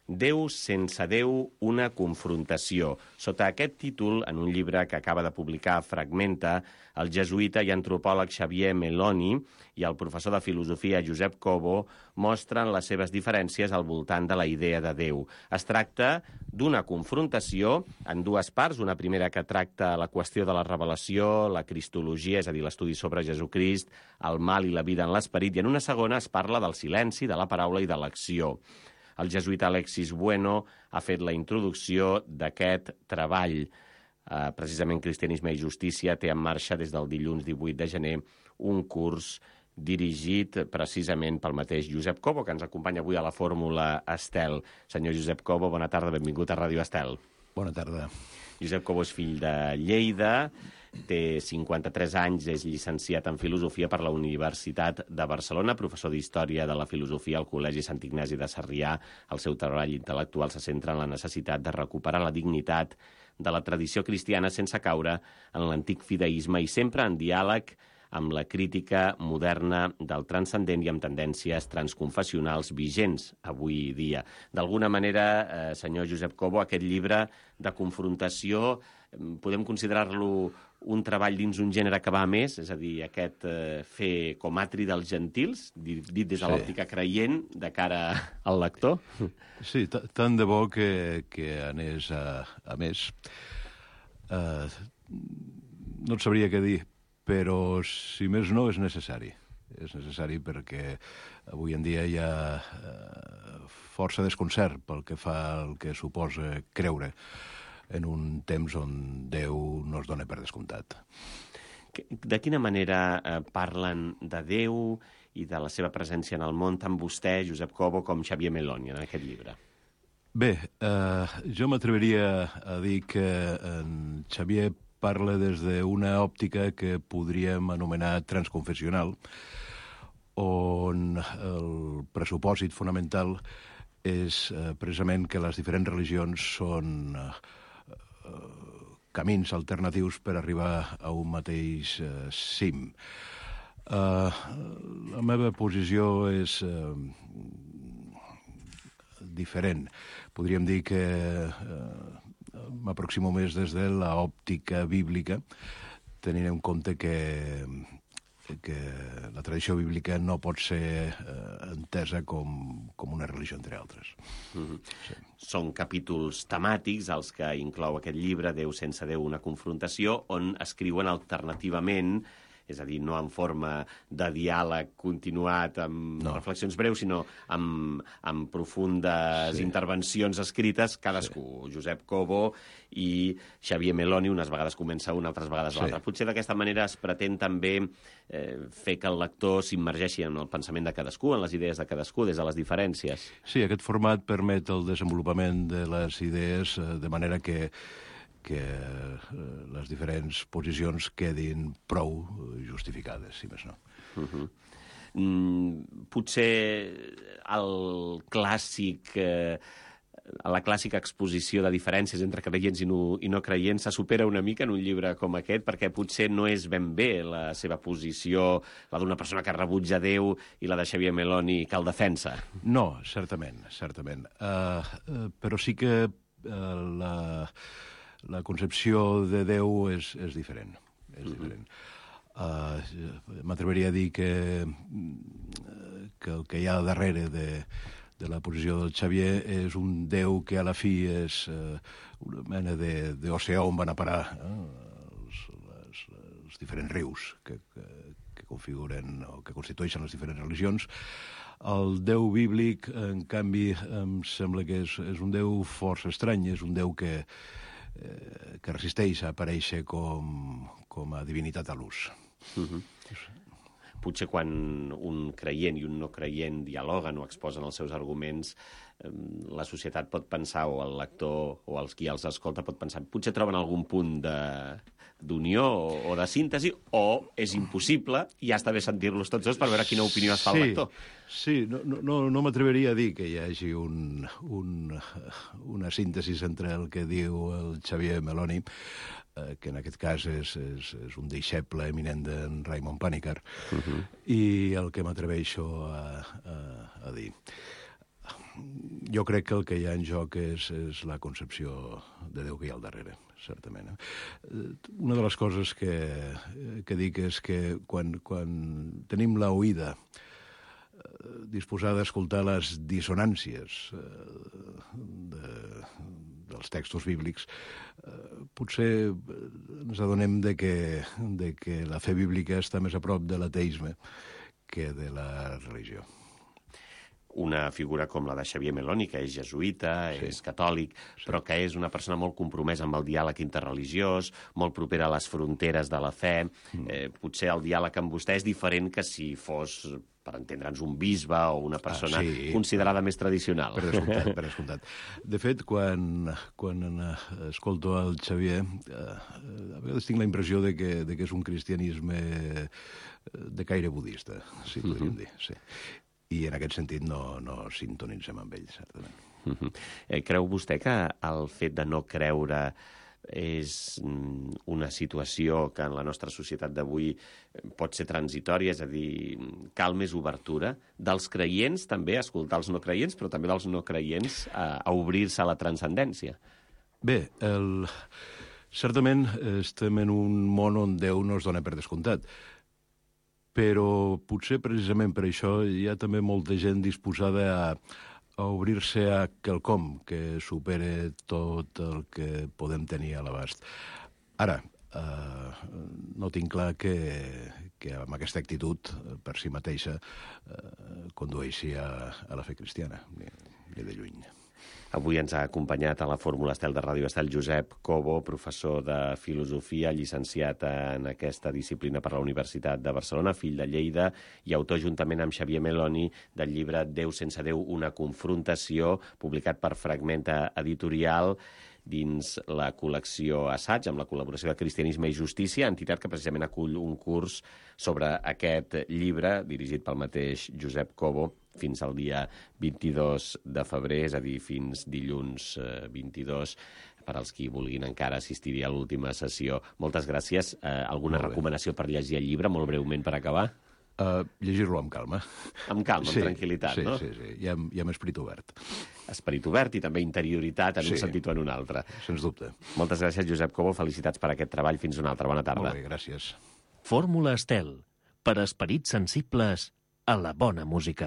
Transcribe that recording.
Déu sense Déu, una confrontació. Sota aquest títol, en un llibre que acaba de publicar Fragmenta, el jesuïta i antropòleg Xavier Meloni i el professor de filosofia Josep Cobo mostren les seves diferències al voltant de la idea de Déu. Es tracta d'una confrontació en dues parts, una primera que tracta la qüestió de la revelació, la cristologia, és a dir, l'estudi sobre Jesucrist, el mal i la vida en l'esperit, i en una segona es parla del silenci, de la paraula i de l'acció. El jesuïta Alexis Bueno ha fet la introducció d'aquest treball. Precisament Cristianisme i Justícia té en marxa des del dilluns 18 de gener un curs dirigit precisament pel mateix Josep Cobo, que ens acompanya avui a la Fórmula Estel. Senyor Josep Cobo, bona tarda, benvingut a Ràdio Estel. Bona tarda. Josep Cobo és fill de Lleida, té 53 anys, és llicenciat en Filosofia per la Universitat de Barcelona, professor d'Història de la Filosofia al Col·legi Sant Ignasi de Sarrià. El seu treball intel·lectual se centra en la necessitat de recuperar la dignitat de la tradició cristiana sense caure en l'antic fideisme i sempre en diàleg amb la crítica moderna del transcendent i amb tendències transconfessionals vigents avui dia. D'alguna manera, senyor Josep Cobo, aquest llibre de confrontació podem considerar-lo un treball dins un gènere que va a més, és a dir, aquest fer com atri dels gentils, dit des de l'òptica creient, de cara al lector? Sí, tant de bo que anés a més. No et sabria què dir, però, si més no, és necessari. És necessari perquè avui en dia hi ha força desconcert pel que fa al que suposa creure en un temps on Déu no es dona per descomptat. De quina manera parlen de Déu i de la seva presència en el món tant vostè, Josep Cobo, com Xavier Meloni en aquest llibre? Bé, jo m'atreviria a dir que en Xavier parla des d'una òptica que podríem anomenar transconfessional, on el pressupòsit fonamental és precisament que les diferents religions són camins alternatius per arribar a un mateix cim. La meva posició és diferent. Podríem dir que m'aproximo més des de l'òptica bíblica, tenint en compte que la tradició bíblica no pot ser entesa com una religió, entre altres. Sí. Són capítols temàtics els que inclou aquest llibre, Déu sense Déu, una confrontació, on escriuen alternativament, és a dir, no en forma de diàleg continuat amb reflexions breus, sinó amb profundes intervencions escrites, cadascú, Josep Cobo i Xavier Meloni, unes vegades comença una, altres vegades l'altra. Potser d'aquesta manera es pretén també fer que el lector s'immergeixi en el pensament de cadascú, en les idees de cadascú, des de les diferències. Sí, aquest format permet el desenvolupament de les idees de manera que les diferents posicions quedin prou justificades, si més no. Potser la clàssica exposició de diferències entre creients i no creients se supera una mica en un llibre com aquest, perquè potser no és ben bé la seva posició, la d'una persona que rebutja Déu i la de Xavier Meloni que el defensa. No, certament. Però sí que la concepció de Déu és diferent. M'atreviria a dir que el que hi ha darrere de la posició del Xavier és un Déu que a la fi és una mena d'oceà on van a parar els diferents rius que configuren o que constitueixen les diferents religions. El Déu bíblic, en canvi, em sembla que és un Déu força estrany, és un Déu que resisteix a aparèixer com a divinitat a l'ús. Potser quan un creient i un no creient dialoguen o exposen els seus arguments, la societat pot pensar, o el lector o qui els escolta pot pensar, potser troben algun punt d'unió o de síntesi, o és impossible i ja està bé sentir-los tots dos per veure quina opinió es fa el lector. Sí, no m'atreviria a dir que hi hagi una síntesi entre el que diu el Xavier Meloni, que en aquest cas és un deixeble eminent d'en Raimon Panikkar, i el que m'atreveixo a dir. Jo crec que el que hi ha en joc és la concepció de Déu que hi ha al darrere, certament. Una de les coses que dic és que quan tenim la oïda disposada a escoltar les dissonàncies dels textos bíblics, potser ens adonem de que la fe bíblica està més a prop de l'ateisme que de la religió. Una figura com la de Xavier Meloni, que és jesuïta, és catòlic, però que és una persona molt compromesa amb el diàleg interreligiós, molt propera a les fronteres de la fe. Potser el diàleg amb vostè és diferent que si fos, per entendre'ns, un bisbe o una persona considerada més tradicional. Per descomptat. De fet, quan escolto el Xavier, a vegades tinc la impressió de que és un cristianisme de caire budista, si podríem dir, sí. I en aquest sentit no sintonitzem amb ell, certament. Creu vostè que el fet de no creure és una situació que en la nostra societat d'avui pot ser transitòria, és a dir, cal més obertura dels creients també, a escoltar els no creients, però també dels no creients a obrir-se a la transcendència? Bé, certament estem en un món on Déu no es dona per descomptat, però potser precisament per això hi ha també molta gent disposada a obrir-se a quelcom que supere tot el que podem tenir a l'abast. Ara, no tinc clar que amb aquesta actitud per si mateixa condueixi a la fe cristiana, ni de lluny. Avui ens ha acompanyat a la Fórmula Estel de Ràdio Estel Josep Cobo, professor de filosofia, llicenciat en aquesta disciplina per la Universitat de Barcelona, fill de Lleida i autor juntament amb Xavier Meloni del llibre Déu sense Déu, una confrontació, publicat per Fragmenta Editorial dins la col·lecció Assaig, amb la col·laboració de Cristianisme i Justícia, entitat que precisament acull un curs sobre aquest llibre, dirigit pel mateix Josep Cobo, fins al dia 22 de febrer, és a dir, fins dilluns 22, per als qui vulguin encara assistir a l'última sessió. Moltes gràcies. Alguna recomanació per llegir el llibre, molt breument per acabar? Llegir-lo amb calma. Amb calma, amb tranquil·litat, no? Sí. I amb esperit obert. Esperit obert i també interioritat en un sentit o en un altre. Sens dubte. Moltes gràcies, Josep Cobo. Felicitats per aquest treball. Fins una altra. Bona tarda. Molt bé, gràcies. Fórmula Estel, per esperits sensibles a la bona música.